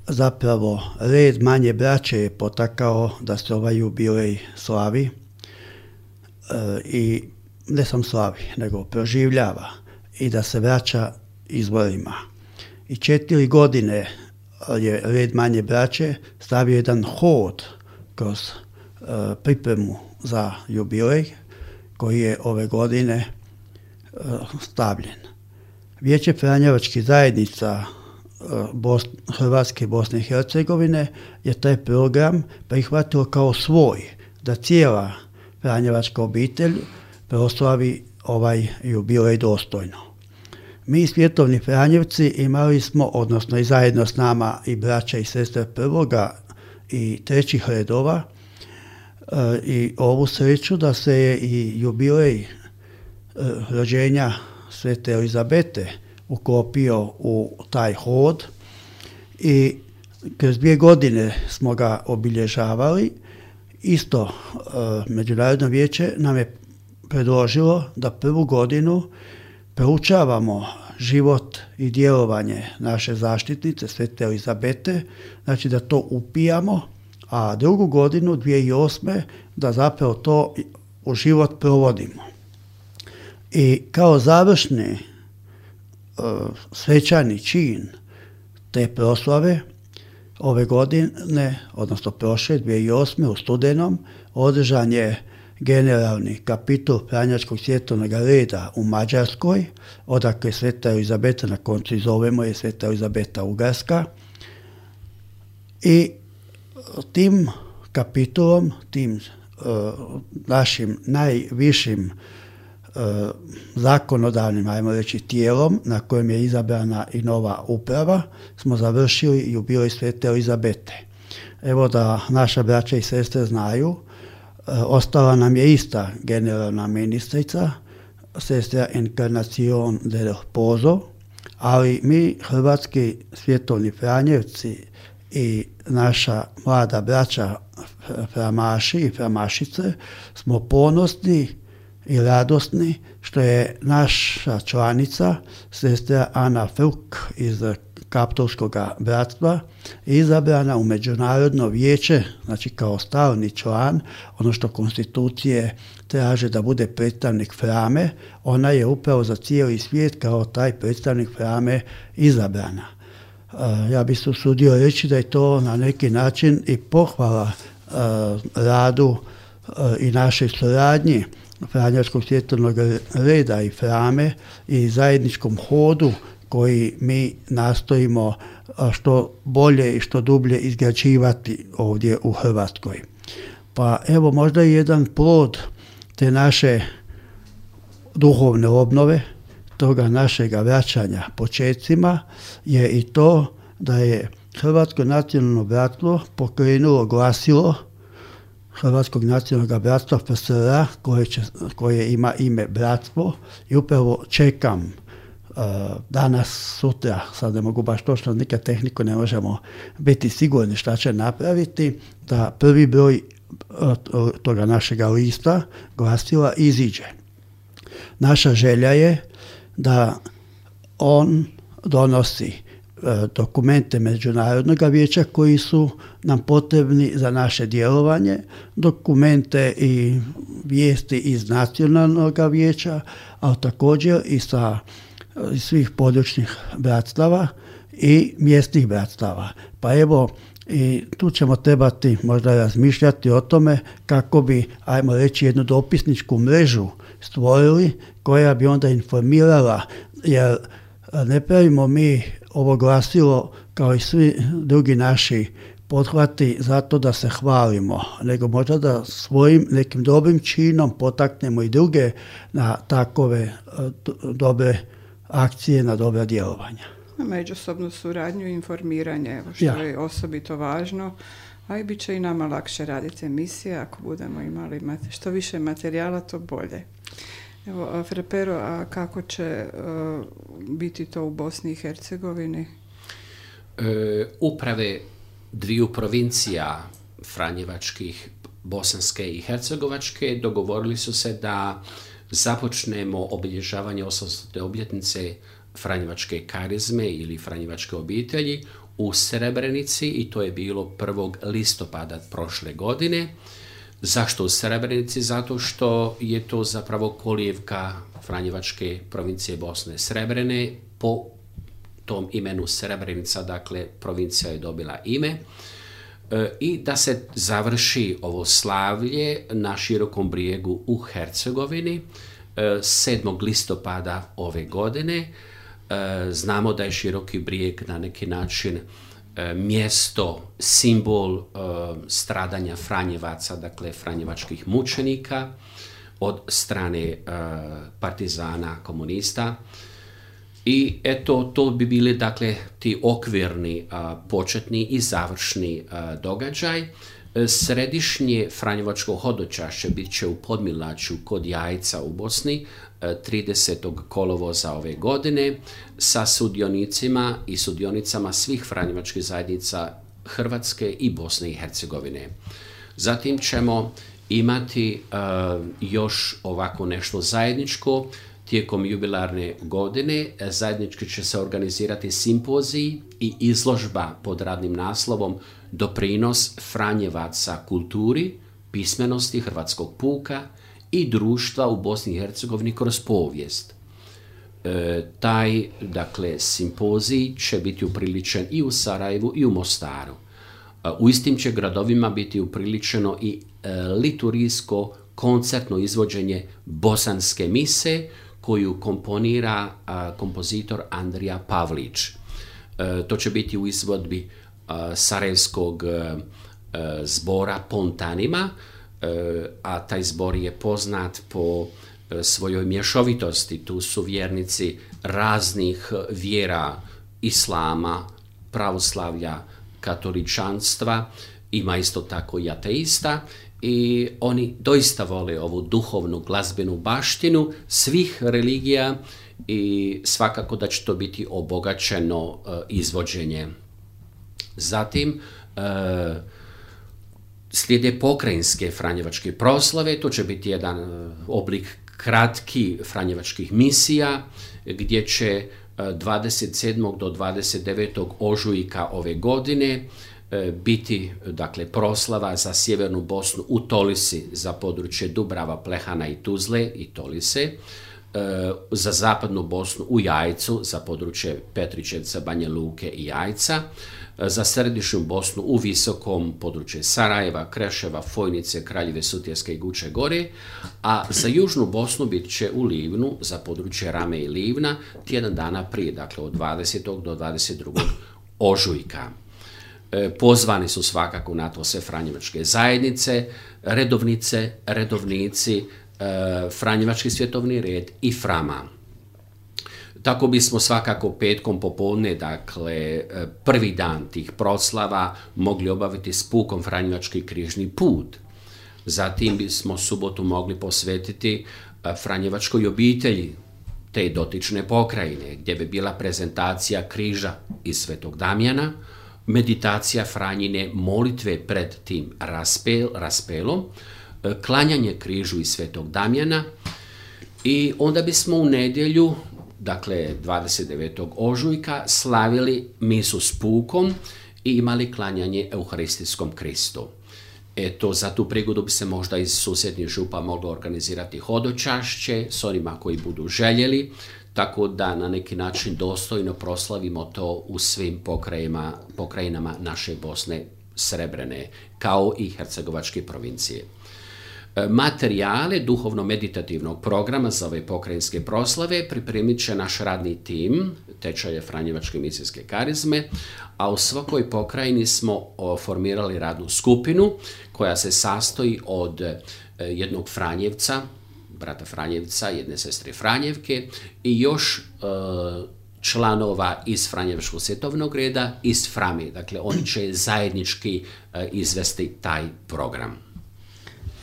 Zapravo, red manje braće je potakao da se ovaj jubilej slavi i ne sam slavi, nego proživljava i da se vraća izvorima. I 4 godine je red manje braće stavio jedan hod kroz pripremu za jubilej koji je ove godine stavljen. Vijeće Franjevačkih zajednica Hrvatske i Bosne i Hercegovine je taj program prihvatilo kao svoj, da cijela Franjevačka obitelj proslavi ovaj jubilej dostojno. Mi svjetovni Franjevci imali smo, odnosno i zajedno s nama i braća i sestre prvoga i trećih redova, i ovu sreću da se je i jubilej rođenja Svete Elizabete uklopio u taj hod i kroz 2 godine smo ga obilježavali. Isto Međunarodno vijeće nam je predložilo da prvu godinu proučavamo život i djelovanje naše zaštitnice Svete Elizabete, znači da to upijamo, a drugu godinu 2008. da zapravo to u život provodimo. I kao završni svečani čin te proslave ove godine, odnosno prošle 2008. u studenom, održan je generalni kapitul Franjevačkog svjetovnog reda u Mađarskoj, odakle Sveta Elizabeta, na koncu i zovemo je Sveta Elizabeta Ugarska. I tim kapitulom, tim našim najvišim zakonodavnim, ajmo reći, tijelom na kojem je izabrana i nova uprava, smo završili jubilej Svete Elizabete. Evo da naša braća i sestre znaju, ostala nam je ista generalna ministrica, sestra Encarnacion del Pozo, ali mi, hrvatski svjetovni Franjevci i naša mlada braća Framaši i Framašice, smo ponosni i radosni što je naša članica, sestra Ana Fruk iz Kaptolskog bratstva, izabrana u Međunarodno vijeće, znači kao stalni član, ono što konstitucije traže da bude predstavnik Frame, ona je upravo za cijeli svijet kao taj predstavnik Frame izabrana. Ja bih se usudio reći da je to na neki način i pohvala radu i našoj suradnji Franjevačkog svjetovnog reda i Frame i zajedničkom hodu koji mi nastojimo što bolje i što dublje izgrađivati ovdje u Hrvatskoj. Pa evo možda i jedan plod te naše duhovne obnove, toga našega vraćanja počecima, je i to da je Hrvatsko nacionalno bratstvo pokrenulo glasilo Hrvatskog nacionalnog bratstva FSR, koje ima ime Bratstvo, i upravo čekam danas, sutra, sad ne mogu baš točno, nikad tehniku ne možemo biti sigurni šta će napraviti, da prvi broj toga našega lista glasila iziđe. Naša želja je da on donosi dokumente Međunarodnog vijeća koji su nam potrebni za naše djelovanje, dokumente i vijesti iz Nacionalnog vijeća, ali također i sa svih područnih bratstava i mjesnih bratstava. Pa evo, i tu ćemo trebati možda razmišljati o tome kako bi, ajmo reći, jednu dopisničku mrežu stvorili koja bi onda informirala, jer ne pravimo mi ovo glasilo, kao i svi drugi naši pothvati zato da se hvalimo, nego možda da svojim nekim dobrim činom potaknemo i druge na takove dobre akcije, na dobra djelovanja. Međusobnu suradnju i informiranje, evo što je osobito važno, a i bit će i nama lakše raditi emisije ako budemo imali što više materijala, to bolje. Evo, Fra Pero, a kako će biti to u Bosni i Hercegovini? Uprave dviju provincija franjevačkih, bosanske i hercegovačke, dogovorili su se da započnemo obilježavanje 800. obljetnice franjevačke karizme ili franjevačke obitelji u Srebrenici, i to je bilo 1. listopada prošle godine. Zašto u Srebrenici? Zato što je to zapravo kolijevka franjevačke provincije Bosne Srebrene. Po tom imenu Srebrenica, dakle, provincija je dobila ime. I da se završi ovo slavlje na Širokom brijegu u Hercegovini 7. listopada ove godine. Znamo da je Široki brijeg na neki način mjesto, simbol stradanja Franjevaca, dakle franjevačkih mučenika od strane partizana, komunista. I eto, to bi bili, dakle, ti okvirni, početni i završni događaj. Središnje franjevačko hodočašće bit će u Podmilaću kod Jajca u Bosni 30. kolovoza ove godine sa sudionicima i sudionicama svih franjevačkih zajednica Hrvatske i Bosne i Hercegovine. Zatim ćemo imati još ovako nešto zajedničko. Tijekom jubilarne godine zajednički će se organizirati simpozij i izložba pod radnim naslovom Doprinos Franjevaca kulturi, pismenosti hrvatskog puka i društva u Bosni i Hercegovini kroz povijest. Taj, dakle, simpozij će biti upriličen i u Sarajevu i u Mostaru. U istim će gradovima biti upriličeno i liturgijsko koncertno izvođenje bosanske mise koju komponira kompozitor Andrija Pavlić. To će biti u izvodbi sarajevskog zbora Pontanima, a taj zbor je poznat po svojoj mješovitosti. Tu su vjernici raznih vjera, islama, pravoslavlja, katoličanstva, ima isto tako i ateista, i oni doista vole ovu duhovnu glazbenu baštinu svih religija i svakako da će to biti obogaćeno izvođenje. Zatim slijede pokrajinske franjevačke proslave, to će biti jedan oblik kratki franjevačkih misija gdje će 27. do 29. ožujka ove godine biti, dakle, proslava za sjevernu Bosnu u Tolisi za područje Dubrava, Plehana i Tuzle i Tolise, za zapadnu Bosnu u Jajcu za područje Petričevca, Banja Luke i Jajca, za središnju Bosnu u Visokom područje Sarajeva, Kreševa, Fojnice, Kraljeve Sutjeske i Guče Gore, a za južnu Bosnu bit će u Livnu za područje Rame i Livna tjedan dana prije, dakle od 20. do 22. ožujka. Pozvani su svakako na to sve franjevačke zajednice, redovnice, redovnici, Franjevački svjetovni red i Frama. Tako bismo svakako petkom popodne, dakle prvi dan tih proslava, mogli obaviti s pukom Franjevački križni put. Zatim bismo subotu mogli posvetiti Franjevačkoj obitelji te dotične pokrajine, gdje bi bila prezentacija križa iz Svetog Damjana, meditacija Franjine molitve pred tim raspelom, klanjanje križu iz Svetog Damjana, i onda bismo u nedjelju, dakle 29. ožujka, slavili misu s pukom i imali klanjanje Euharistijskom Kristu. Eto, za tu prigodu bi se možda iz susjednih župa moglo organizirati hodočašće s onima koji budu željeli, tako da na neki način dostojno proslavimo to u svim pokrajinama naše Bosne Srebrene, kao i hercegovačke provincije. Materijale duhovno-meditativnog programa za ove pokrajinske proslave pripremit će naš radni tim tečaja Franjevačke misijske karizme, a u svakoj pokrajini smo formirali radnu skupinu koja se sastoji od jednog Franjevca, brata Franjevca, jedne sestre Franjevke i još članova iz Franjevačkog svjetovnog reda, iz Frame. Dakle, oni će zajednički izvesti taj program.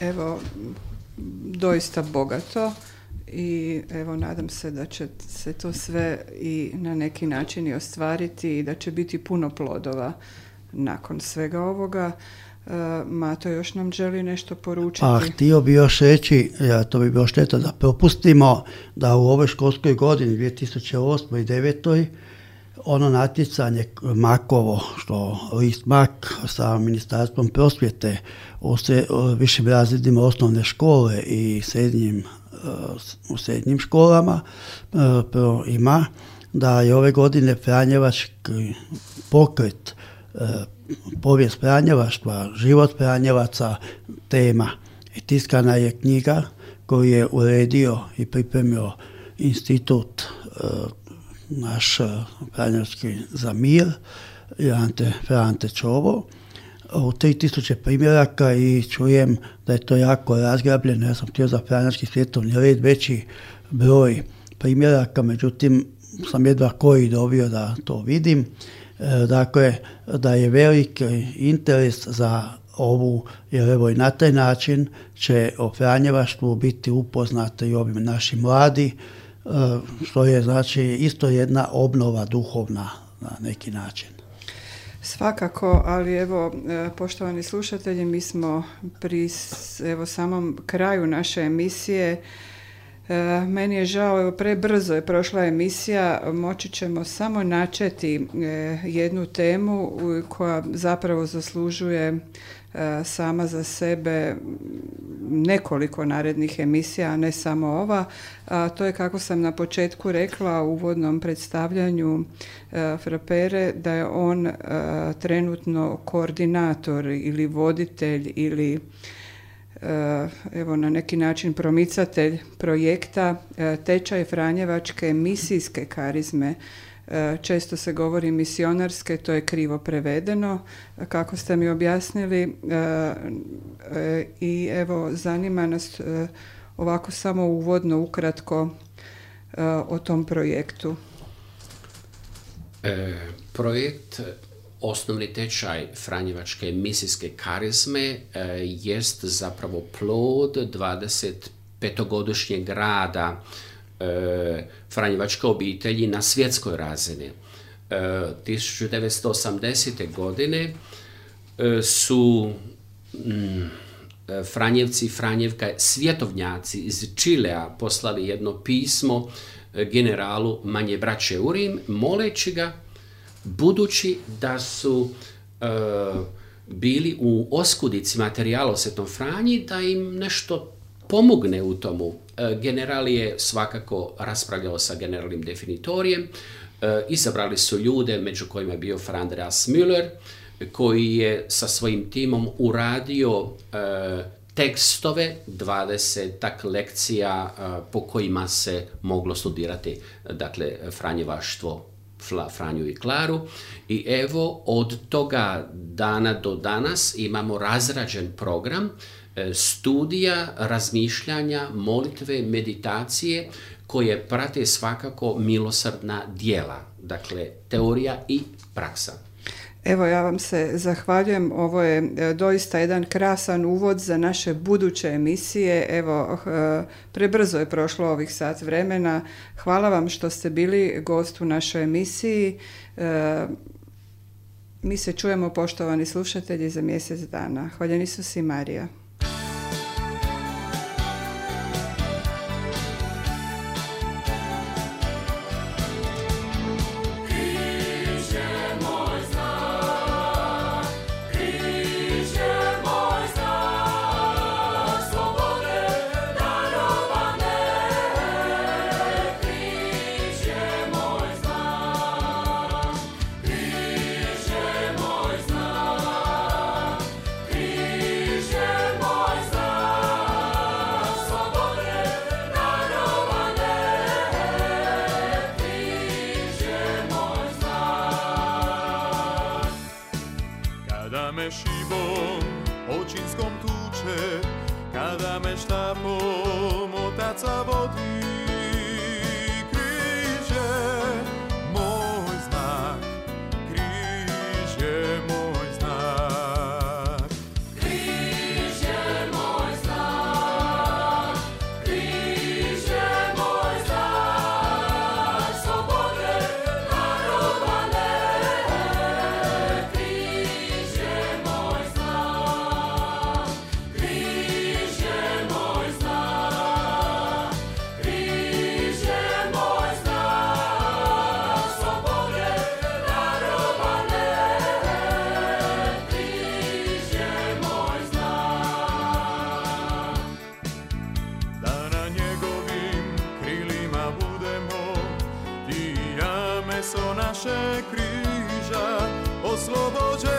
Evo, doista bogato i evo nadam se da će se to sve i na neki način i ostvariti i da će biti puno plodova nakon svega ovoga. Mato još nam želi nešto poručiti. Htio bi još reći, to bi bilo šteta da propustimo, da u ovoj školskoj godini 2008. i 2009. ono natjecanje Makovo, što list Mak sa Ministarstvom prosvjete u višim razredima osnovne škole i u srednjim školama ima, da je ove godine Franjevački pokret, povijest Franjevaštva, život Franjevaca tema. I tiskana je knjiga koju je uredio i pripremio institut naš Franjevački za mir i Ante Čovo u 3000 primjeraka i čujem da je to jako razgrabljeno. Ja sam htio za Franjevački svjetovni red veći broj primjeraka, međutim sam jedva koji dobio da to vidim. Dakle, da je veliki interes za ovu, jer evo i na taj način će o Franjevaštvu biti upoznati i ovi naši mladi, što je znači isto jedna obnova duhovna na neki način. Svakako, ali evo, poštovani slušatelji, mi smo pri samom kraju naše emisije. Meni je žao, evo, prebrzo je prošla emisija, moći ćemo samo načeti jednu temu koja zapravo zaslužuje sama za sebe nekoliko narednih emisija, a ne samo ova. To je, kako sam na početku rekla u uvodnom predstavljanju Frapere, da je on trenutno koordinator ili voditelj ili evo na neki način promicatelj projekta tečaj Franjevačke misijske karizme. Često se govori misionarske, to je krivo prevedeno, kako ste mi objasnili, i evo zanima nas ovako samo uvodno ukratko o tom projektu. Projekt Osnovni tečaj Franjevačke misijske karizme jest zapravo plod 25-godišnjeg rada Franjevačke obitelji na svjetskoj razini. 1980. godine su Franjevci i Franjevka, svjetovnjaci iz Čilea, poslali jedno pismo generalu Manje braće Urim, moleći ga, budući da su bili u oskudici materijala o Svetom Franji, da im nešto pomogne u tomu. General je svakako raspravljao sa generalnim definitorijem, izabrali su ljude, među kojima je bio Fra Andreas Müller, koji je sa svojim timom uradio tekstove, 20 lekcija po kojima se moglo studirati, dakle, Franjevaštvo, Franju i Klaru. I evo, od toga dana do danas imamo razrađen program studija, razmišljanja, molitve, meditacije koje prate svakako milosrdna djela, dakle teorija i praksa. Evo, ja vam se zahvaljujem, ovo je doista jedan krasan uvod za naše buduće emisije. Evo, prebrzo je prošlo ovih sat vremena. Hvala vam što ste bili gost u našoj emisiji. Mi se čujemo, poštovani slušatelji, za mjesec dana. Hvaljen Isus i Marija. Križ je me šivom očinskom tuče, kada me štapom otaca vodi. Križ je moj znak, križ je moj znak. Križ je moj znak, križ je moj znak, slobode darovane. Križ je moj znak, križ je moj znak, križ je moj znak, slobode darovane. Križ je moj znak. Da na njegovim krilima budemo, ti i ja meso naše križa, oslobođeni